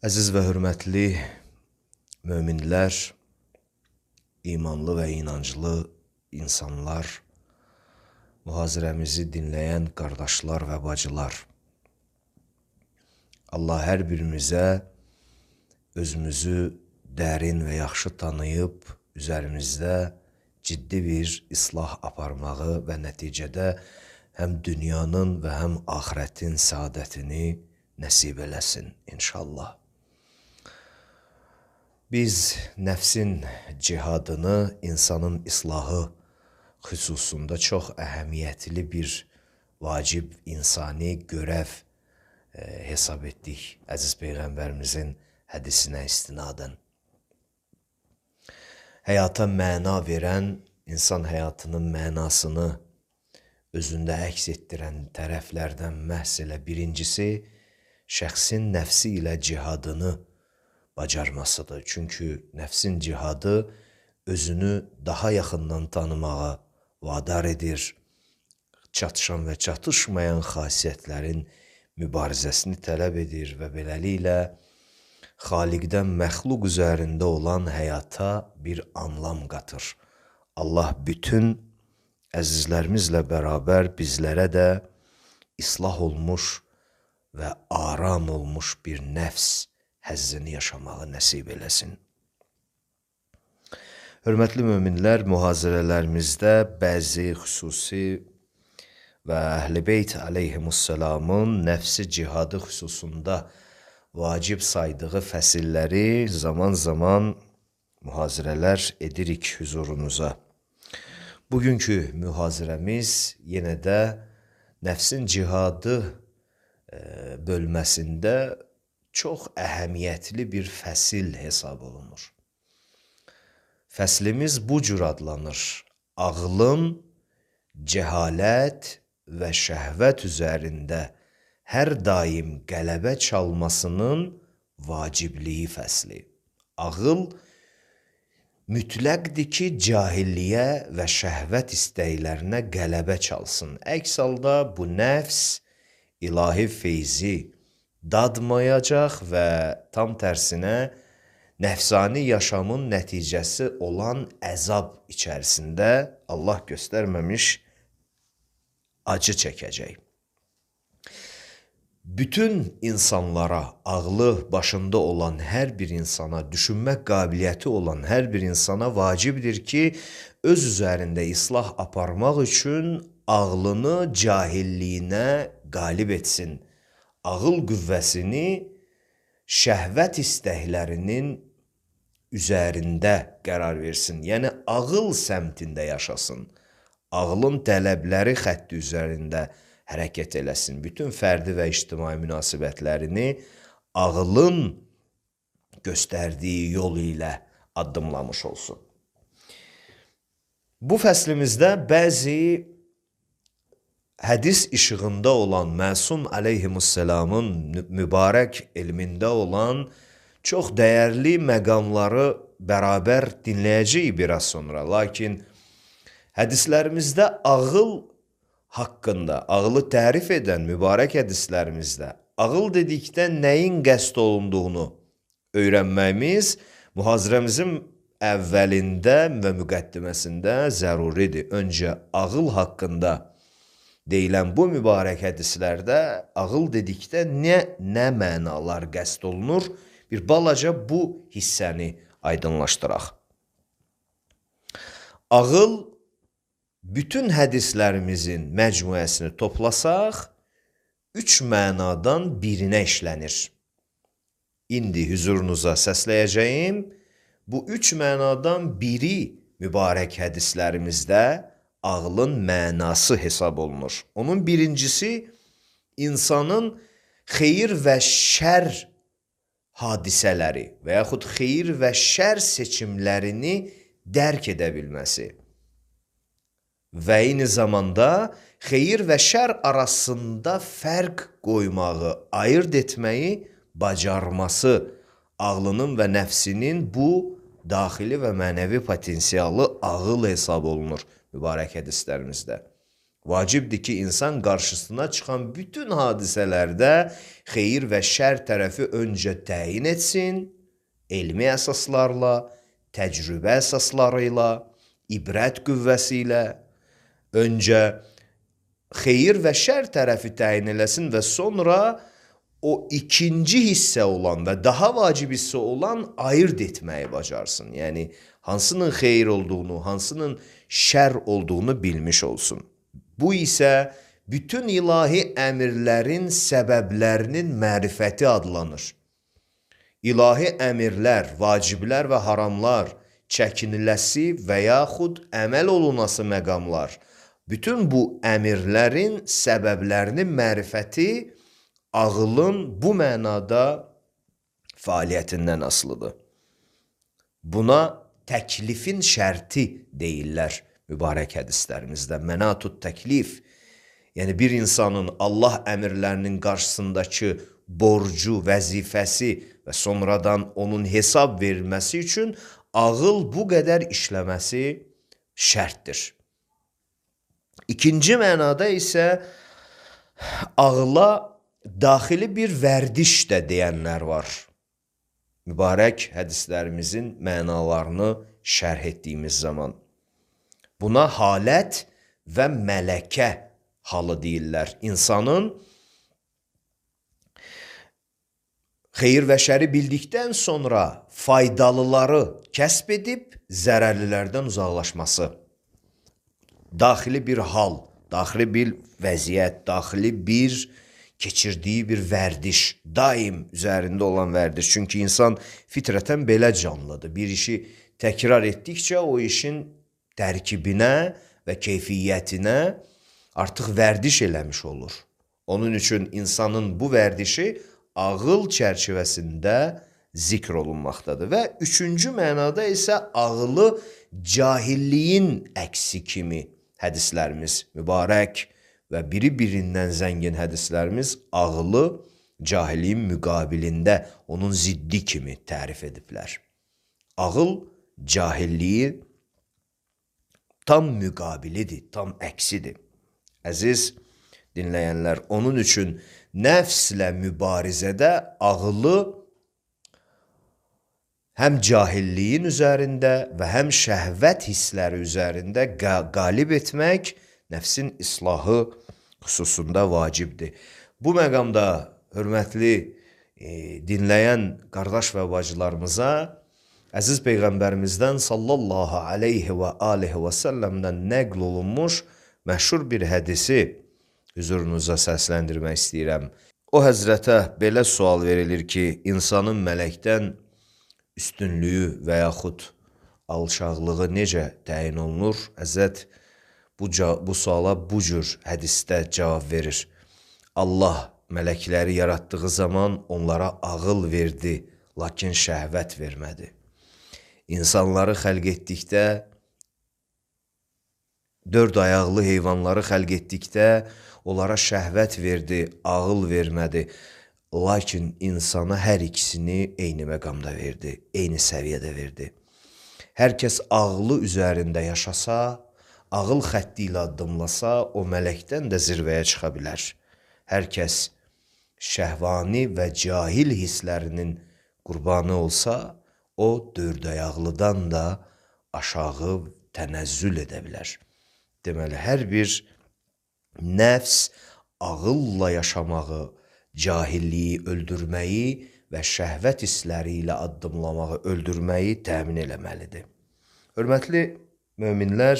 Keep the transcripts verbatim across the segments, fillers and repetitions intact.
Əziz və hörmətli möminlər, imanlı və inanclı insanlar, mühazirəmizi dinləyən qardaşlar və bacılar. Allah hər birimizə özümüzü dərin və yaxşı tanıyıb, üzərimizdə ciddi bir islah aparmağı və nəticədə həm dünyanın və həm axirətin saadətini nəsib eləsin inşallah. Biz nəfsin cihadını, insanın islahı xüsusunda çox əhəmiyyətli bir vacib insani görəv e, hesab etdik əziz Peyğəmbərimizin hədisinə istinadən. Həyata məna verən, insan həyatının mənasını özündə əks etdirən tərəflərdən məhz elə birincisi, şəxsin nəfsi ilə cihadını bacarmasıdır. Çünki nəfsin cihadı özünü daha yaxından tanımağa vadar edir, çatışan və çatışmayan xasiyyətlərin mübarizəsini tələb edir və beləliklə Xaliqdən məxluq üzərində olan həyata bir anlam qatır. Allah bütün əzizlərimizlə bərabər bizlərə də islah olmuş və aram olmuş bir nəfs həzzini yaşamağı nəsib eləsin. Hörmətli möminlər, mühazirələrimizdə bəzi xüsusi və Əhl-i Beyt əleyhimussalamın nəfsi cihadı xüsusunda vacib saydığı fəsilləri zaman-zaman mühazirələr edirik huzurunuza. Bugünkü mühazirəmiz yenə də nəfsin cihadı e, bölməsində çox əhəmiyyətli bir fəsil hesab olunur. Fəslimiz bu cür adlanır: ağlın cəhalət və şəhvət üzərində hər daim qələbə çalmasının vacibliyi fəsli. Ağıl mütləqdir ki, cahilliyə və şəhvət istəklərinə qələbə çalsın. Əks halda bu nəfs ilahi feyzi dadmayacaq və tam tərsinə nəfsani yaşamın nəticəsi olan əzab içərisində Allah göstərməmiş acı çəkəcək. Bütün insanlara, ağlı başında olan hər bir insana, düşünmək qabiliyyəti olan hər bir insana vacibdir ki, öz üzərində islah aparmaq üçün ağlını cahilliyinə qalib etsin. Ağıl qüvvəsini şəhvət istəklərinin üzərində qərar versin. Yəni, ağıl səmtində yaşasın. Ağlın tələbləri xətti üzərində hərəkət eləsin. Bütün fərdi və ictimai münasibətlərini ağlın göstərdiyi yol ilə addımlamış olsun. Bu fəslimizdə bəzi hədis işığında olan Məsum əleyhimussalamın mübarək elmində olan çox dəyərli məqamları bərabər dinləyəcəyik biraz sonra. Lakin hədislərimizdə ağıl haqqında, ağılı tərif edən mübarək hədislərimizdə ağıl dedikdə nəyin qəsd olunduğunu öyrənməyimiz mühazirəmizin əvvəlində və müqəddiməsində zəruridir. Öncə ağıl haqqında deyilən bu mübarək hədislərdə ağıl dedikdə nə, nə mənalar qəsd olunur? Bir balaca bu hissəni aydınlaşdıraq. Ağıl bütün hədislərimizin məcmuəsini toplasaq, üç mənadan birinə işlənir. İndi huzurunuza səsləyəcəyim, bu üç mənadan biri mübarək hədislərimizdə ağlın mənası hesab olunur. Onun birincisi, insanın xeyir və şər hadisələri və yaxud xeyir və şər seçimlərini dərk edə bilməsi və eyni zamanda xeyir və şər arasında fərq qoymağı, ayırt etməyi bacarması, ağlının və nəfsinin bu daxili və mənəvi potensialı ağıl hesab olunur mübarək hədislərimizdə. Vacibdir ki, insan qarşısına çıxan bütün hadisələrdə xeyir və şər tərəfi öncə təyin etsin, elmi əsaslarla, təcrübə əsasları ilə, ibrət qüvvəsi ilə öncə xeyir və şər tərəfi təyin eləsin və sonra o ikinci hissə olan və daha vacib hissə olan ayırt etməyi bacarsın. Yəni, hansının xeyir olduğunu, hansının şər olduğunu bilmiş olsun. Bu isə bütün ilahi əmirlərin səbəblərinin mərifəti adlanır. İlahi əmirlər, vaciblər və haramlar, çəkiniləsi və yaxud əməl olunası məqamlar, bütün bu əmirlərin səbəblərinin mərifəti ağılın bu mənada fəaliyyətindən asılıdır. Buna təklifin şərti deyirlər mübarək hədislərimizdə. Mənatut təklif, yəni bir insanın Allah əmirlərinin qarşısındakı borcu, vəzifəsi və sonradan onun hesab verilməsi üçün ağıl bu qədər işləməsi şərtdir. İkinci mənada isə ağla daxili bir vərdiş də deyənlər var. Mübarək hədislərimizin mənalarını şərh etdiyimiz zaman. Buna halət və mələkə halı deyirlər. İnsanın xeyir və şəri bildikdən sonra faydalıları kəsb edib zərərlilərdən uzaqlaşması. Daxili bir hal, daxili bir vəziyyət, daxili bir keçirdiyi bir vərdiş, daim üzərində olan vərdiş. Çünki insan fitrətən belə canlıdır. Bir işi təkrar etdikcə o işin tərkibinə və keyfiyyətinə artıq vərdiş eləmiş olur. Onun üçün insanın bu vərdişi ağıl çərçivəsində zikr olunmaqdadır. Və üçüncü mənada isə ağılı cahilliyin əksi kimi hədislərimiz mübarək və biri-birindən zəngin hədislərimiz ağılı cahilliyin müqabilində onun ziddi kimi tərif ediblər. Ağıl cahilliyi tam müqabilidir, tam əksidir. Əziz dinləyənlər, onun üçün nəfslə mübarizədə ağılı həm cahilliyin üzərində və həm şəhvət hissləri üzərində qalib etmək nəfsin islahı xüsusunda vacibdir. Bu məqamda hörmətli e, dinləyən qardaş və bacılarımıza əziz Peyğəmbərimizdən sallallahu aleyhi və aleyhi və səlləmdən nəql olunmuş məşhur bir hədisi hüzurunuza səsləndirmək istəyirəm. O həzrətə belə sual verilir ki, insanın mələkdən üstünlüyü və yaxud alçaqlığı necə təyin olunur? Həzrət bu, bu suala bu cür hədisdə cavab verir. Allah mələkləri yaratdığı zaman onlara ağıl verdi, lakin şəhvət vermədi. İnsanları xəlq etdikdə, dörd ayaqlı heyvanları xəlq etdikdə onlara şəhvət verdi, ağıl vermədi. Lakin insana hər ikisini eyni məqamda verdi, eyni səviyyədə verdi. Hər kəs ağlı üzərində yaşasa, ağıl xətti ilə addımlasa, o mələkdən də zirvəyə çıxa bilər. Hər kəs şəhvani və cahil hisslərinin qurbanı olsa, o dörd ayaqlıdan da aşağı tənəzzül edə bilər. Deməli, hər bir nəfs ağılla yaşamağı, cahilliyi öldürməyi və şəhvət hissləri ilə addımlamağı, öldürməyi təmin eləməlidir. Hörmətli möminlər,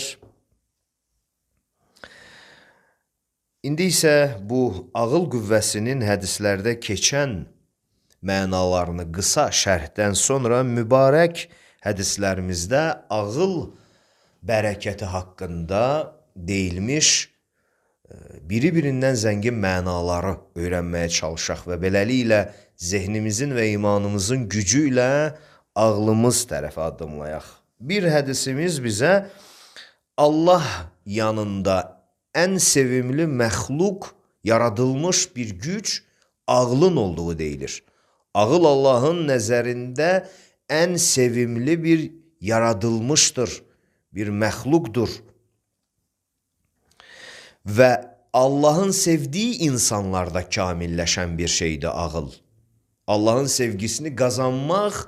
indi isə bu ağıl qüvvəsinin hədislərdə keçən mənalarını qısa şərhdən sonra mübarək hədislərimizdə ağıl bərəkəti haqqında deyilmiş biri-birindən zəngin mənaları öyrənməyə çalışaq və beləliklə zehnimizin və imanımızın gücü ilə ağlımız tərəfə addımlayaq. Bir hədisimiz bizə Allah yanında ən sevimli məxluq, yaradılmış bir güc ağlın olduğu deyilir. Ağıl Allahın nəzərində ən sevimli bir yaradılmışdır, bir məxluqdur. və Allahın sevdiyi insanlarda kamilləşən bir şeydir ağıl. Allahın sevgisini qazanmaq,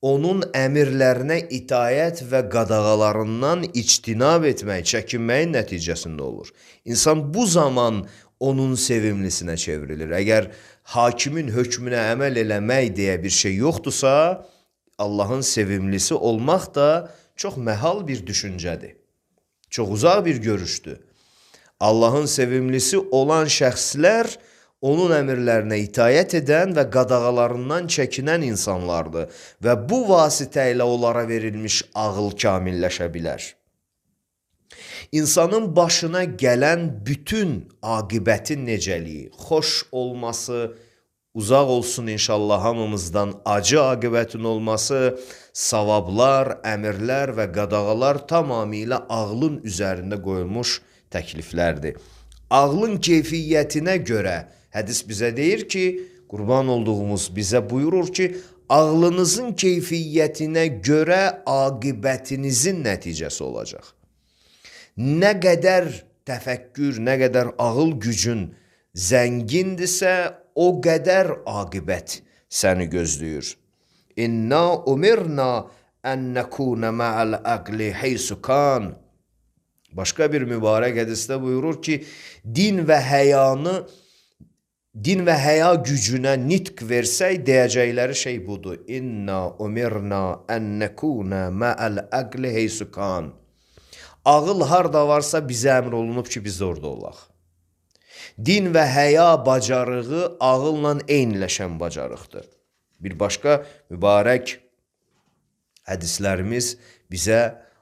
onun əmirlərinə itayət və qadağalarından ictinab etmək, çəkinməyin nəticəsində olur. İnsan bu zaman onun sevimlisinə çevrilir. Əgər hakimin hökmünə əməl eləmək deyə bir şey yoxdursa, Allahın sevimlisi olmaq da çox məhal bir düşüncədir. Çox uzaq bir görüşdür. Allahın sevimlisi olan şəxslər onun əmirlərinə itayət edən və qadağalarından çəkinən insanlardır və bu vasitə ilə onlara verilmiş ağıl kamilləşə bilər. İnsanın başına gələn bütün aqibətin necəliyi, xoş olması, uzaq olsun inşallah hamımızdan acı aqibətin olması, savablar, əmirlər və qadağalar tamamilə ağlın üzərində qoyulmuş təkliflərdir. Ağlın keyfiyyətinə görə hədis bizə deyir ki, qurban olduğumuz bizə buyurur ki, ağlınızın keyfiyyətinə görə aqibətinizin nəticəsi olacaq. Nə qədər təfəkkür, nə qədər ağıl gücün zəngindirsə, o qədər aqibət səni gözləyir. İnna umirna ən nəkuna ma'al aqli heysu kan. Başqa bir mübarək hədisdə buyurur ki, din və həyanı, din və həya gücünə nitq versək, deyəcəkləri şey budur. İnna umirna ən nəkuna ma'al aqli heysu kan. Ağıl harda varsa bizə əmr olunub ki, biz orada olaq. Din və həya bacarığı ağılla eyniləşən bacarıqdır. Bir başqa mübarək hədislərimiz bizə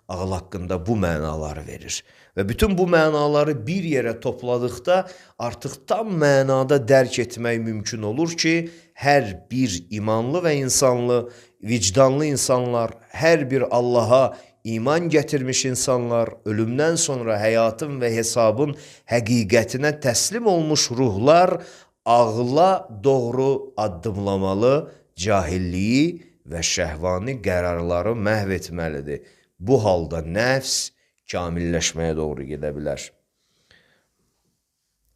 ağıl haqqında bu mənaları verir. Və bütün bu mənaları bir yerə topladıqda artıq tam mənada dərk etmək mümkün olur ki, hər bir imanlı və insanlı, vicdanlı insanlar, hər bir Allaha iman gətirmiş insanlar, ölümdən sonra həyatın və hesabın həqiqətinə təslim olmuş ruhlar ağla doğru addımlamalı, cahilliyi və şəhvani qərarları məhv etməlidir. Bu halda nəfs kamilləşməyə doğru gedə bilər.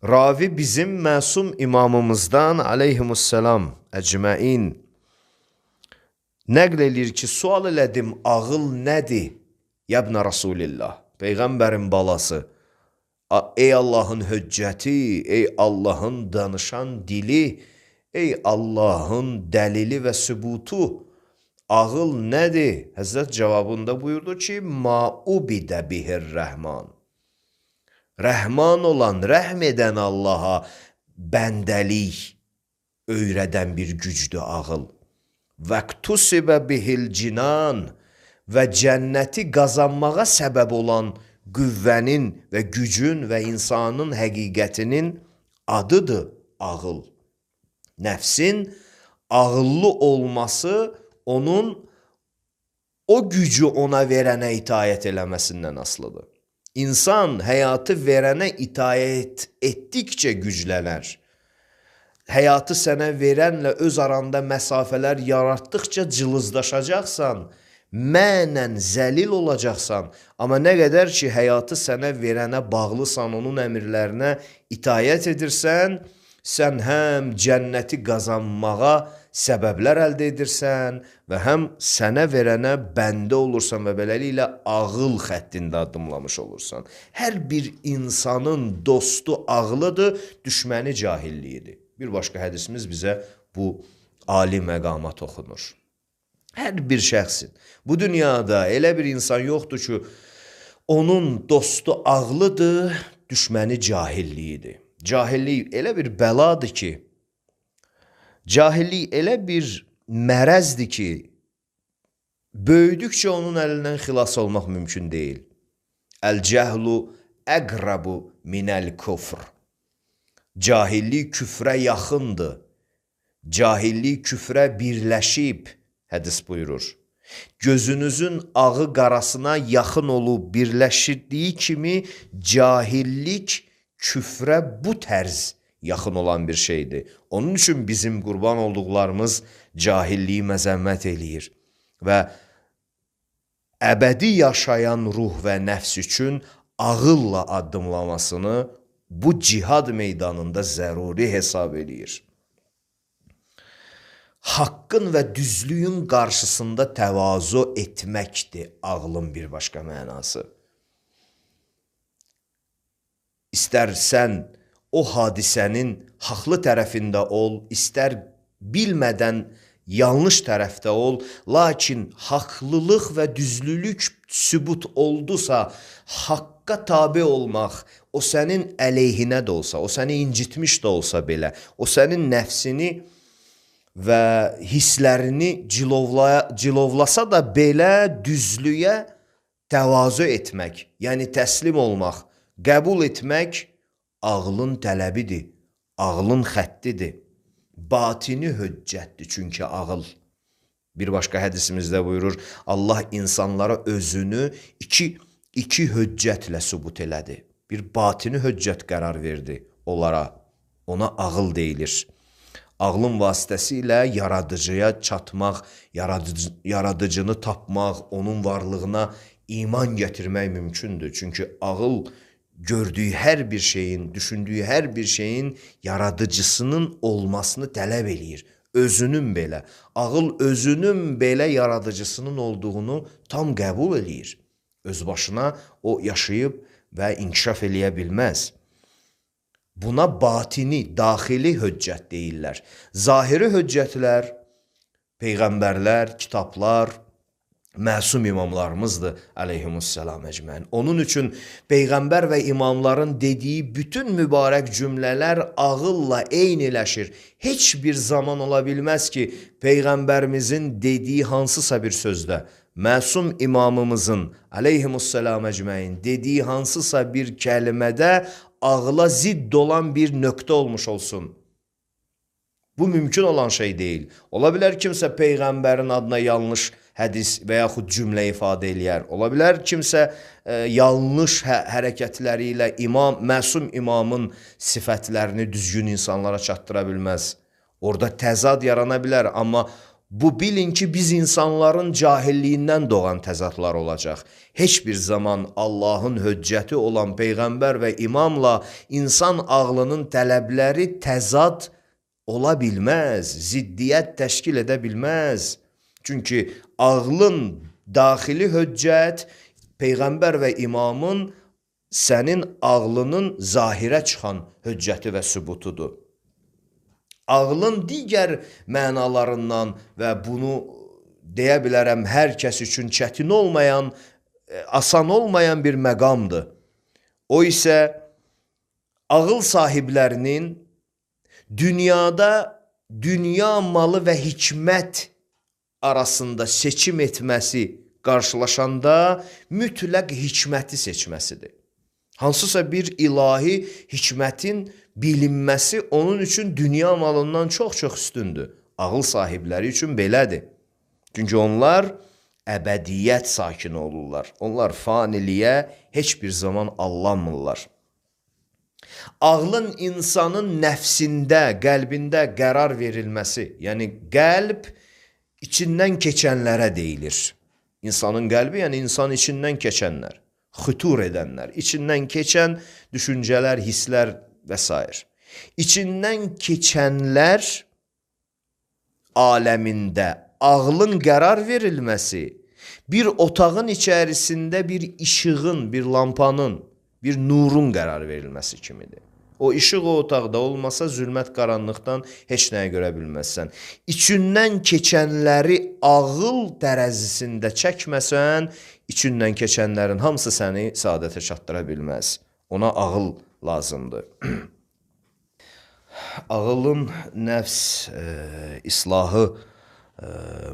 Ravi bizim məsum imamımızdan aleyhimussalam əcməin nəql edir ki, sual elədim, ağıl nədir? Yəbnə Rasulillah, Peyğəmbərin balası, ey Allahın höccəti, ey Allahın danışan dili, ey Allahın dəlili və sübutu, ağıl nədir? Həzrət cavabında buyurdu ki, ma ubidə bihir rəhman. Rəhman olan, rəhm edən Allaha bəndəlik öyrədən bir gücdür ağıl. Vəqtusibə bihil cinan və cənnəti qazanmağa səbəb olan qüvvənin və gücün və insanın həqiqətinin adıdır ağıl. Nəfsin ağıllı olması onun o gücü ona verənə itayət eləməsindən asılıdır. İnsan həyatı verənə itayət etdikcə güclənər. Həyatı sənə verənlə öz aranda məsafələr yaratdıqca cılızdaşacaqsan, mənən zəlil olacaqsan. Amma nə qədər ki, həyatı sənə verənə bağlısan, onun əmirlərinə itayət edirsən, sən həm cənnəti qazanmağa səbəblər əldə edirsən və həm sənə verənə bəndə olursan və beləliklə ağıl xəttində addımlamış olursan. Hər bir insanın dostu ağlıdır, düşməni cahilliyidir. Bir başqa hədisimiz bizə bu ali məqama toxunur. Hər bir şəxsin bu dünyada elə bir insan yoxdur ki, onun dostu ağlıdır, düşməni cahilliyidir. Cahillik elə bir bəladır ki, cahillik elə bir mərəzdir ki, böyüdükcə onun əlindən xilas olmaq mümkün deyil. Əl-cəhlu əqrabu minəl kufr. Cahillik küfrə yaxındır. Cahillik küfrə birləşib, hədis buyurur. Gözünüzün ağı qarasına yaxın olub birləşdirdiyi kimi cahillik küfrə bu tərz yaxın olan bir şeydir. Onun üçün bizim qurban olduqlarımız cahilliyi məzəmmət eləyir və əbədi yaşayan ruh və nəfs üçün ağılla addımlamasını bu cihad meydanında zəruri hesab eləyir. Haqqın və düzlüyün qarşısında təvazu etməkdir ağlın bir başqa mənası. İstər sən o hadisənin haqlı tərəfində ol, istər bilmədən yanlış tərəfdə ol, lakin haqlılıq və düzlülük sübut oldusa, haqqa tabe olmaq, o sənin əleyhinə də olsa, o səni incitmiş də olsa belə, o sənin nəfsini və hisslərini cilovlaya, cilovlasa da belə düzlüyə təvazu etmək, yəni təslim olmaq, qəbul etmək ağlın tələbidir, ağlın xəttidir. Batini höccətdir çünki ağıl. Bir başqa hədisimizdə buyurur, Allah insanlara özünü iki, iki höccətlə sübut elədi. Bir batini höccət qərar verdi onlara, ona ağıl deyilir. Ağlın vasitəsilə yaradıcıya çatmaq, yaradıcı, yaradıcını tapmaq, onun varlığına iman gətirmək mümkündür. Çünki ağıl gördüyü hər bir şeyin, düşündüyü hər bir şeyin yaradıcısının olmasını tələb eləyir. Özünün belə, ağıl özünün belə yaradıcısının olduğunu tam qəbul eləyir. Öz başına o yaşayıb və inkişaf eləyə bilməz. Buna batini, daxili höccət deyirlər. Zahiri höccətlər, peyğəmbərlər, kitablar, məsum imamlarımızdır, əleyhimussalam əcməin. Onun üçün peyğəmbər və imamların dediyi bütün mübarək cümlələr ağılla eyniləşir. Heç bir zaman ola bilməz ki, peyğəmbərimizin dediyi hansısa bir sözdə, məsum imamımızın, əleyhimussalam əcməin, dediyi hansısa bir kəlmədə ağla zidd olan bir nöqtə olmuş olsun. Bu mümkün olan şey deyil. Ola bilər kimsə peyğəmbərin adına yanlış hədis və yaxud cümlə ifadə eləyər. Ola bilər kimsə e, yanlış hə hərəkətləri ilə imam, məsum imamın sifətlərini düzgün insanlara çatdıra bilməz. Orada təzad yarana bilər, amma bu bilin ki, biz insanların cahilliyindən doğan təzadlar olacaq. Heç bir zaman Allahın höccəti olan peyğəmbər və imamla insan ağlının tələbləri təzad ola bilməz, ziddiyyət təşkil edə bilməz. Çünki ağlın daxili höccət, peyğəmbər və imamın sənin ağlının zahirə çıxan höccəti və sübutudur. Ağlın digər mənalarından və bunu deyə bilərəm hər kəs üçün çətin olmayan, asan olmayan bir məqamdır. O isə ağıl sahiblərinin dünyada dünya malı və hikmət arasında seçim etməsi qarşılaşanda mütləq hikməti seçməsidir. Hansısa bir ilahi hikmətin bilinməsi onun üçün dünya malından çox-çox üstündür. Ağıl sahibləri üçün belədir. Çünki onlar əbədiyyət sakini olurlar. Onlar faniliyə heç bir zaman allanmırlar. Ağlın insanın nəfsində, qəlbində qərar verilməsi, yəni qəlb içindən keçənlərə deyilir. İnsanın qəlbi, yəni insan içindən keçənlər, xütur edənlər, içindən keçən düşüncələr, hisslər və s. İçindən keçənlər aləmində ağlın qərar verilməsi, bir otağın içərisində bir işığın, bir lampanın, bir nurun qərar verilməsi kimidir. O işıq o otaqda olmasa zülmət qaranlıqdan heç nəyə görə bilməzsən. İçindən keçənləri ağıl tərəzisində çəkməsən, içindən keçənlərin hamısı səni saadətə çatdıra bilməz. Ona ağıl lazımdır. Ağılın nəfs e, islahı e,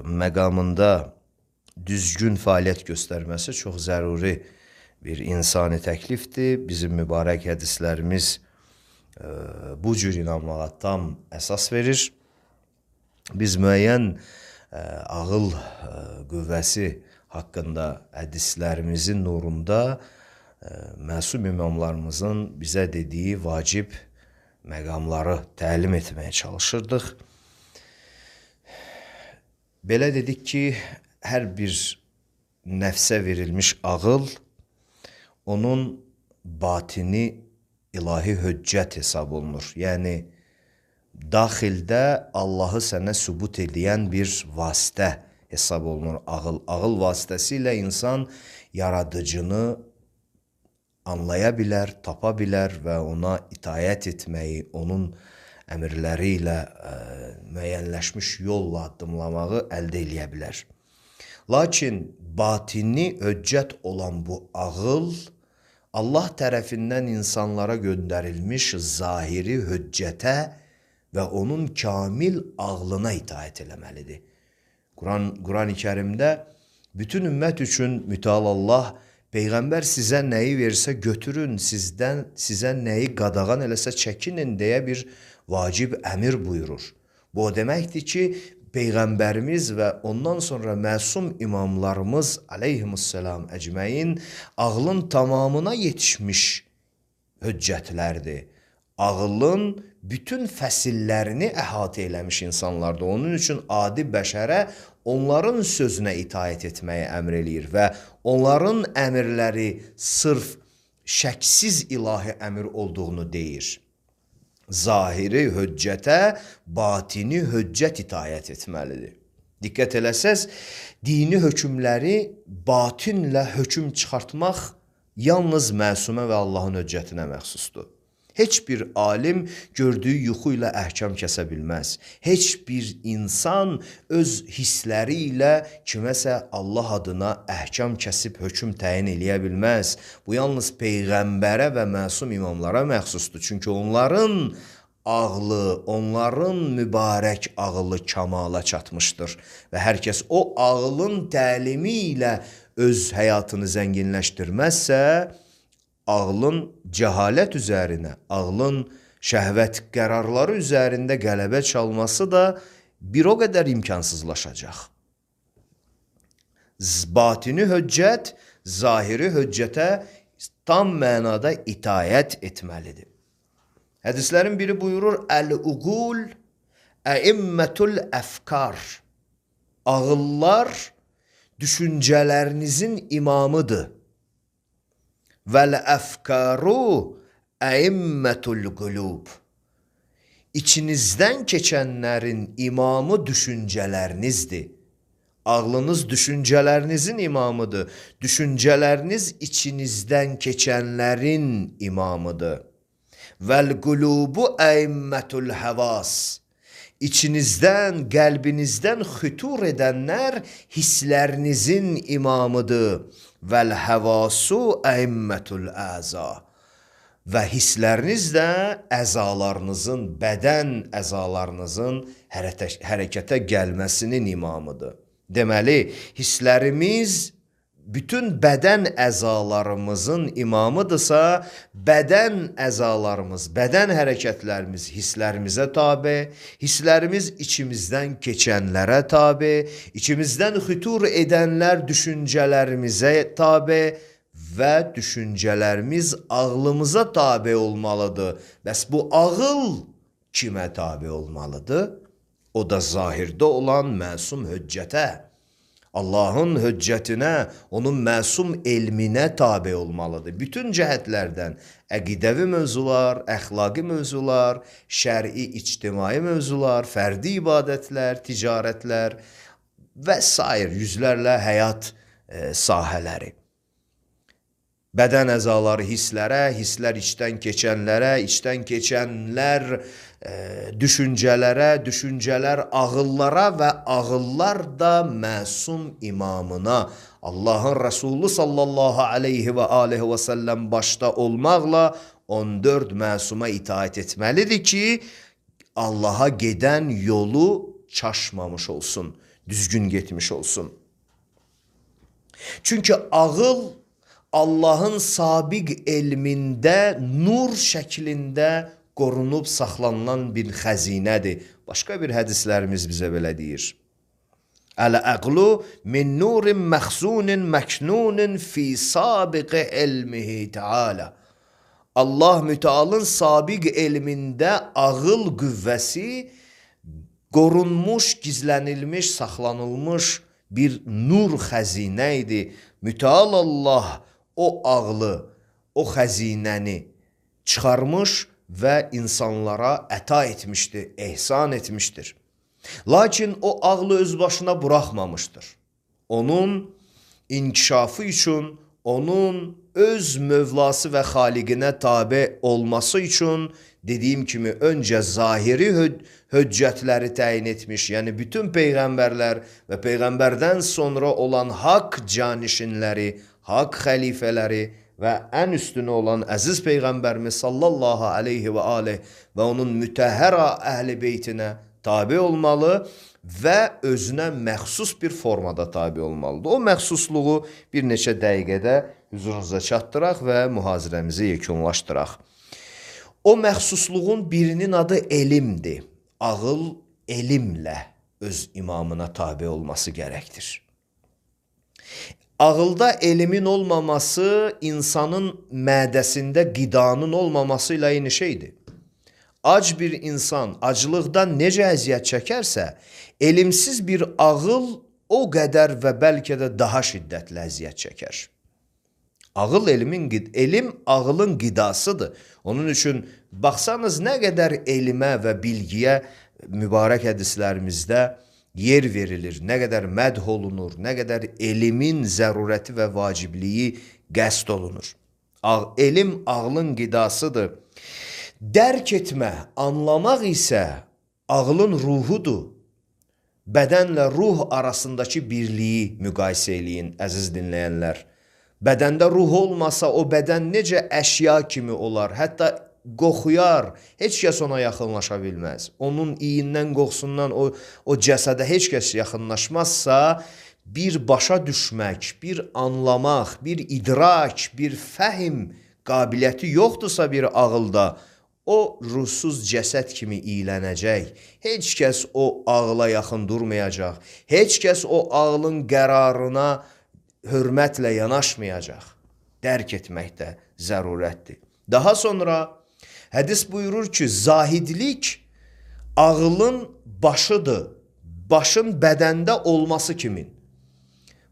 məqamında düzgün fəaliyyət göstərməsi çox zəruri bir insani təklifdir. Bizim mübarək hədislərimiz e, bu cür inanmağa tam əsas verir. Biz müəyyən e, ağıl e, qüvvəsi haqqında hədislərimizin nurunda e, məsum imamlarımızın bizə dediyi vacib məqamları təlim etməyə çalışırdıq. Belə dedik ki, hər bir nəfsə verilmiş ağıl onun batini ilahi höccət hesab olunur. Yəni, daxildə Allahı sənə sübut edən bir vasitə hesab olunur ağıl. Ağıl vasitəsilə insan yaradıcını anlaya bilər, tapa bilər və ona itayət etməyi, onun əmrləri ilə ə, müəyyənləşmiş yolla addımlamağı əldə eləyə bilər. Lakin batini höccət olan bu ağıl Allah tərəfindən insanlara göndərilmiş zahiri höccətə və onun kamil ağlına itaət eləməlidir. Quran, Quran-ı Kərimdə bütün ümmət üçün mütəal Allah Peyğəmbər sizə nəyi versə götürün, sizdən sizə nəyi qadağan eləsə çəkinin deyə bir vacib əmir buyurur. Bu o deməkdir ki, Peyğəmbərimiz və ondan sonra məsum imamlarımız aleyhimussalam əcməin ağlın tamamına yetişmiş höccətlərdir. Ağlın bütün fəsillərini əhatə eləmiş insanlardır. Onun üçün adi bəşərə onların sözünə itaət etməyi əmr eləyir və onların əmrləri sırf şəksiz ilahi əmr olduğunu deyir. Zahiri höccətə, batini höccət itaət etməlidir. Diqqət eləsəz, dini hökmləri batinlə hökm çıxartmaq yalnız məsumə və Allahın höccətinə məxsusdur. Heç bir alim gördüyü yuxu ilə əhkam kəsə bilməz. Heç bir insan öz hissləri ilə kiməsə Allah adına əhkam kəsib hökm təyin eləyə bilməz. Bu yalnız Peyğəmbərə və məsum imamlara məxsusdur. Çünki onların ağlı, onların mübarək ağlı kamala çatmışdır. Və hər kəs o ağlın təlimi ilə öz həyatını zənginləşdirməzsə, ağlın cəhalət üzərinə, ağlın şəhvət qərarları üzərində qələbə çalması da bir o qədər imkansızlaşacaq. Batini höccət, zahiri höccətə tam mənada itayət etməlidir. Hədislərin biri buyurur, Əl-uqul əimmətul əfkar. Ağıllar düşüncələrinizin imamıdır. Vəl-əfkaru əimmətul qulub. İçinizdən keçənlərin imamı düşüncələrinizdir. Ağlınız düşüncələrinizin imamıdır. Düşüncələriniz içinizdən keçənlərin imamıdır. Vəl-qulubu əimmətul həvas. İçinizdən, qəlbinizdən xütur edənlər hisslərinizin imamıdır. Vəl-həvasu əimmətul əza. Və hissləriniz də əzalarınızın, bədən əzalarınızın hərəkətə gəlməsinin imamıdır. Deməli, hisslərimiz bütün bədən əzalarımızın imamıdırsa, bədən əzalarımız, bədən hərəkətlərimiz hisslərimizə tabe, hisslərimiz içimizdən keçənlərə tabe, içimizdən xütur edənlər düşüncələrimizə tabe və düşüncələrimiz ağlımıza tabe olmalıdır. Bəs bu ağıl kimə tabe olmalıdır? O da zahirdə olan məsum höccətə. Allahın höccətinə, onun məsum elminə tabe olmalıdır. Bütün cəhətlərdən əqidəvi mövzular, əxlaqi mövzular, şəri, ictimai mövzular, fərdi ibadətlər, ticarətlər və sair yüzlərlə həyat e, sahələri. Bədən əzaları hisslərə, hisslər içdən keçənlərə, içdən keçənlər e, düşüncələrə, düşüncələr ağıllara və ağıllar da məsum imamına, Allahın Rəsulü sallallahu aleyhi və aleyhi və səlləm başda olmaqla on dörd məsuma itaət etməlidir ki, Allaha gedən yolu çaşmamış olsun, düzgün getmiş olsun. Çünki ağıl Allahın sabiq elmində nur şəklində qorunub saxlanılan bir xəzinədir. Başqa bir hədislərimiz bizə belə deyir. Əl-əqlu min nurin məxzunin məknunin fi sabiq elmihi teala. Allah mütealın sabiq elmində ağıl qüvvəsi qorunmuş, gizlənilmiş, saxlanılmış bir nur xəzinə idi. Müteal Allah o ağlı, o xəzinəni çıxarmış və insanlara əta etmişdir, ehsan etmişdir. Lakin o ağlı öz başına buraxmamışdır. Onun inkişafı üçün, onun öz mövlası və xaliqinə tabe olması üçün dediyim kimi öncə zahiri höccətləri təyin etmiş, yəni bütün peyğəmbərlər və peyğəmbərdən sonra olan haqq canişinləri, haqq xəlifələri və ən üstünü olan əziz peyğəmbərimiz sallallahu aleyhi və aleyh və onun mütəhhərə əhl-i beytinə tabi olmalı və özünə məxsus bir formada tabi olmalıdır. O məxsusluğu bir neçə dəqiqədə huzurunuza çatdıraq və mühazirəmizi yekunlaşdıraq. O məxsusluğun birinin adı elmdir. Ağıl elmlə öz imamına tabi olması gərəkdir. Ağılda elmin olmaması insanın mədəsində qidanın olmaması ilə eyni şeydir. Ac bir insan aclıqdan necə əziyyət çəkərsə, elmsiz bir ağıl o qədər və bəlkə də daha şiddətli əziyyət çəkər. Ağıl elmin, elm ağılın qidasıdır. Onun üçün baxsanız nə qədər elmə və bilgiyə mübarək hədislərimizdə yer verilir, nə qədər mədh olunur, nə qədər elmin zərurəti və vacibliyi qəsd olunur. Elm ağlın qidasıdır. Dərk etmə, anlamaq isə ağlın ruhudur. Bədənlə ruh arasındakı birliyi müqayisə eləyin, əziz dinləyənlər. Bədəndə ruh olmasa o bədən necə əşya kimi olar, hətta qoxuyar, heç kəs ona yaxınlaşa bilməz. Onun iyindən, qoxusundan o, o cəsədə heç kəs yaxınlaşmazsa, bir başa düşmək, bir anlamaq, bir idrak, bir fəhim qabiliyyəti yoxdursa bir ağılda, o ruhsuz cəsəd kimi iylənəcək. Heç kəs o ağla yaxın durmayacaq. Heç kəs o ağlın qərarına hörmətlə yanaşmayacaq. Dərk etməkdə zərurətdir. Daha sonra hədis buyurur ki, zahidlik ağlın başıdır. Başın bədəndə olması kimin?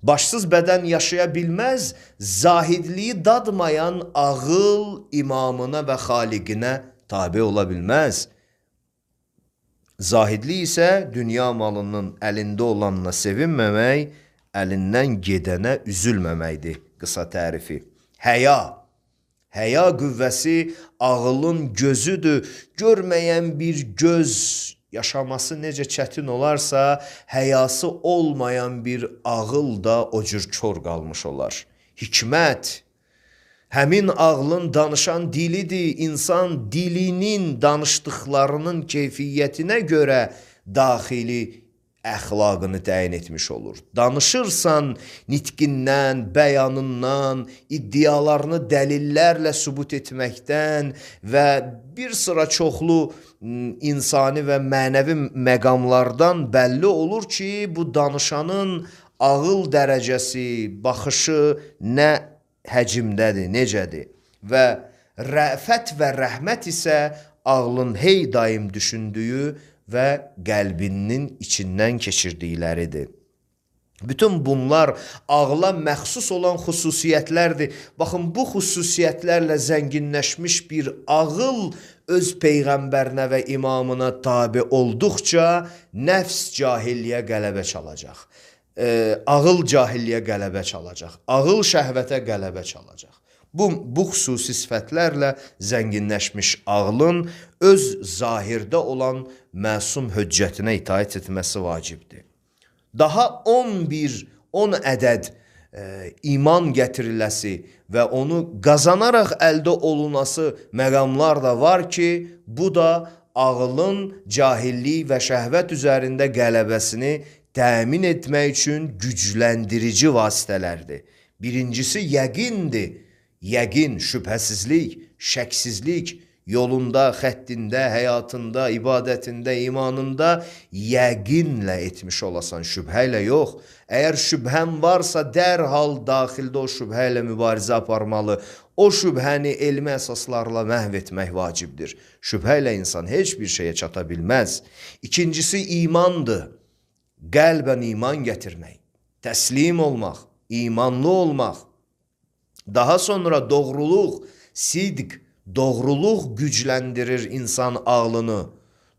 Başsız bədən yaşaya bilməz, zahidliyi dadmayan ağıl imamına və xaliqinə tabi ola bilməz. Zahidlik isə dünya malının əlində olanına sevinməmək, əlindən gedənə üzülməməkdir qısa tərifi. Həya, həya qüvvəsi ağılın gözüdür. Görməyən bir göz yaşaması necə çətin olarsa, həyası olmayan bir ağıl da o cür kör qalmış olar. Hikmət, həmin ağlın danışan dilidir. İnsan dilinin danışdıqlarının keyfiyyətinə görə daxili əxlaqını təyin etmiş olur. Danışırsan nitqindən, bəyanından, iddialarını dəlillərlə sübut etməkdən və bir sıra çoxlu insani və mənəvi məqamlardan bəlli olur ki, bu danışanın ağıl dərəcəsi, baxışı nə həcimdədir, necədir. Və rəfət və rəhmət isə ağlın hey daim düşündüyü və qəlbinin içindən keçirdikləridir. Bütün bunlar ağla məxsus olan xüsusiyyətlərdir. Baxın, bu xüsusiyyətlərlə zənginləşmiş bir ağıl öz peyğəmbərinə və imamına tabi olduqca nəfs cahilliyə qələbə çalacaq. E, ağıl cahilliyə qələbə çalacaq. Ağıl şəhvətə qələbə çalacaq. Bu, bu xüsusi sifətlərlə zənginləşmiş ağlın öz zahirdə olan məsum höccətinə itaət etməsi vacibdir. Daha on bir, on ədəd e, iman gətiriləsi və onu qazanaraq əldə olunası məqamlar da var ki, bu da ağlın cahillik və şəhvət üzərində qələbəsini təmin etmək üçün gücləndirici vasitələrdir. Birincisi yəqindir. Yəqin, şübhəsizlik, şəksizlik, yolunda, xəttində, həyatında, ibadətində, imanında yəqinlə etmiş olasan, şübhə ilə yox. Əgər şübhən varsa, dərhal daxildə o şübhə ilə mübarizə aparmalı. O şübhəni elmi əsaslarla məhv etmək vacibdir. Şübhə ilə insan heç bir şeyə çata bilməz. İkincisi imandır. Qəlbən iman gətirmək, təslim olmaq, imanlı olmaq. Daha sonra doğruluq, sidq, Doğruluq gücləndirir insan ağlını.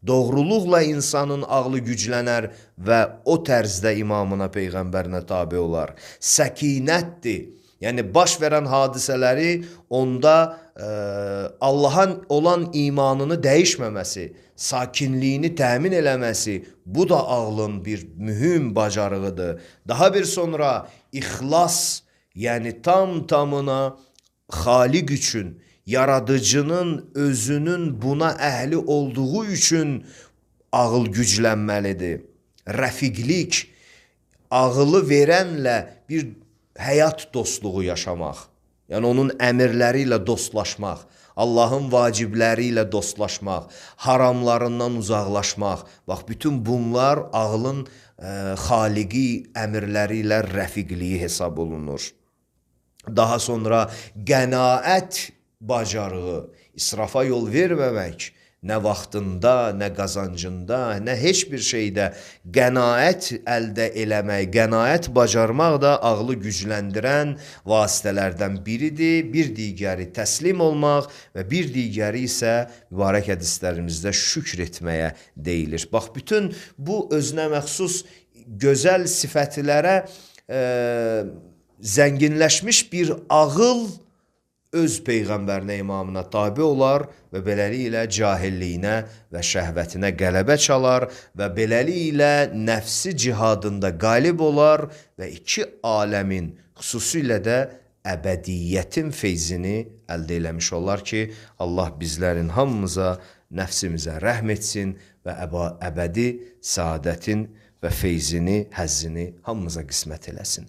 Doğruluqla insanın ağlı güclənər və o tərzdə imamına, peyğəmbərinə tabe olar. Səkinətdir. Yəni baş verən hadisələri onda e, Allah'a olan imanını dəyişməməsi, sakinliyini təmin eləməsi, bu da ağlın bir mühüm bacarığıdır. Daha bir sonra ixlas, yəni tam tamına Xaliq üçün, yaradıcının özünün buna əhli olduğu üçün ağıl güclənməlidir. Rəfiqlik, ağılı verənlə bir həyat dostluğu yaşamaq. Yəni onun əmirləri ilə dostlaşmaq, Allahın vacibləri ilə dostlaşmaq, haramlarından uzaqlaşmaq. Bax, bütün bunlar ağlın e, xaliqi əmirləri ilə rəfiqliyi hesab olunur. Daha sonra qənaət bacarığı, israfa yol verməmək, nə vaxtında, nə qazancında, nə heç bir şeydə qənaət əldə eləmək, qənaət bacarmaq da ağlı gücləndirən vasitələrdən biridir. Bir digəri təslim olmaq və bir digəri isə mübarək hədislərimizdə şükr etməyə deyilir. Bax, bütün bu özünə məxsus gözəl sifətlərə e, zənginləşmiş bir ağıl öz peyğəmbərinə, imamına tabe olar və beləliklə cahilliyinə və şəhvətinə qələbə çalar və beləliklə nəfsi cihadında qalib olar və iki aləmin, xüsusilə də əbədiyyətin feyzini əldə eləmiş olar ki, Allah bizlərin hamımıza, nəfsimizə rəhm etsin və əbədi səadətin və feyzini, həzzini hamımıza qismət eləsin.